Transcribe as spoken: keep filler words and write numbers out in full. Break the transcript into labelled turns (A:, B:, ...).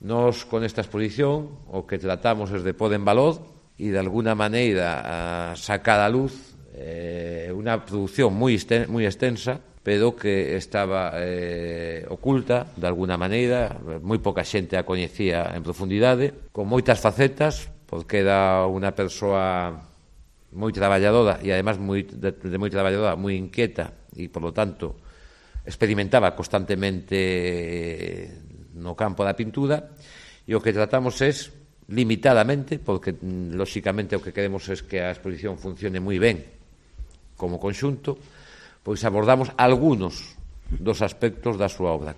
A: Nos, con esta exposición, o que tratamos es de pôr en valor e, de alguna maneira, a sacar a luz eh, unha produción moi extensa, pero que estaba eh, oculta, de alguna maneira, moi poca xente a coñecía en profundidade, con moitas facetas, porque era unha persoa moi traballadora e, además, moi, de, de moi traballadora, moi inquieta e, por lo tanto, experimentaba constantemente no campo da pintura, e o que tratamos é limitadamente, porque, lóxicamente, o que queremos é que a exposición funcione moi ben como conxunto, pois abordamos algúnos dos aspectos da súa obra.